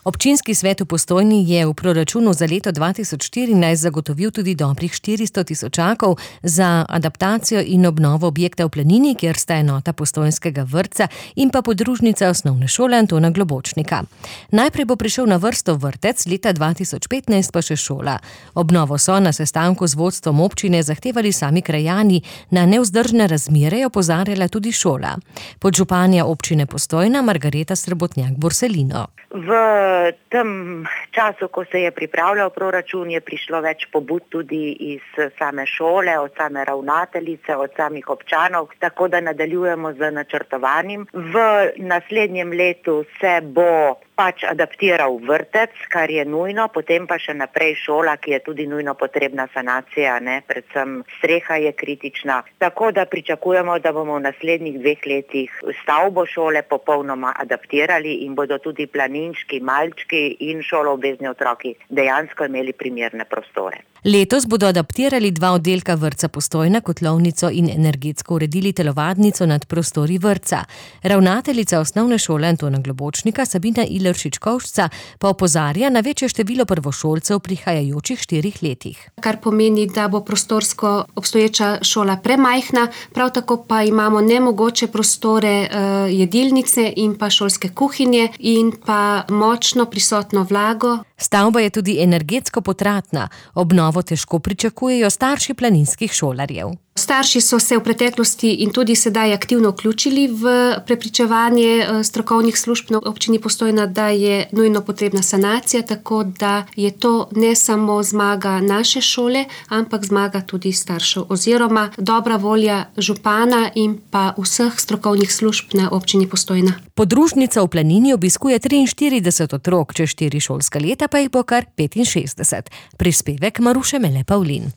Občinski svet v Postojni je v proračunu za leto 2014 zagotovil tudi dobrih 400 tisočakov za adaptacijo in obnovo objekta v Planini, kjer sta enota postojnskega vrtca in pa podružnica osnovne šole Antona Globočnika. Najprej bo prišel na vrsto vrtec, leta 2015 pa še šola. Obnovo so na sestanku z vodstvom občine zahtevali sami krajani, na nevzdržne razmere je opozarjala tudi šola. Podžupanja občine Postojna Margareta Srebotnjak-Borselino. V tem času, ko se je pripravljal proračun, je prišlo več pobud tudi iz same šole, od same ravnateljice, od samih občanov, tako da nadaljujemo z načrtovanjem. V naslednjem letu se bo adaptiral vrtec, kar je nujno, potem pa še naprej šola, ki je tudi nujno potrebna sanacija, predvsem streha je kritična. Tako da pričakujemo, da bomo v naslednjih 2 letih stavbo šole popolnoma adaptirali in bodo tudi planinčki, malčki in šoloobvezni otroki dejansko imeli primerne prostore. Letos bodo adaptirali 2 oddelka vrtca Postojna, kotlovnico in energetsko uredili telovadnico nad prostori vrtca. Ravnateljica osnovne šole Antona Globočnika Sabina Ileršič-Kovšca pa opozarja na večje število prvošolcev v prihajajočih 4 letih. Kar pomeni, da bo prostorsko obstoječa šola premajhna, prav tako pa imamo nemogoče prostore jedilnice in pa šolske kuhinje in pa močno prisotno vlago. Stavba je tudi energetsko potratna. Obnovo težko pričakujejo starši planinskih šolarjev. Starši so se v preteklosti in tudi sedaj aktivno vključili v prepričevanje strokovnih služb na občini Postojna, da je nujno potrebna sanacija, tako da je to ne samo zmaga naše šole, ampak zmaga tudi staršev oziroma dobra volja župana in pa vseh strokovnih služb na občini Postojna. Podružnica v Planini obiskuje 43 otrok, čez 4 šolska leta pa jih bo kar 65. Prispevek Maruše Mele Pavlin.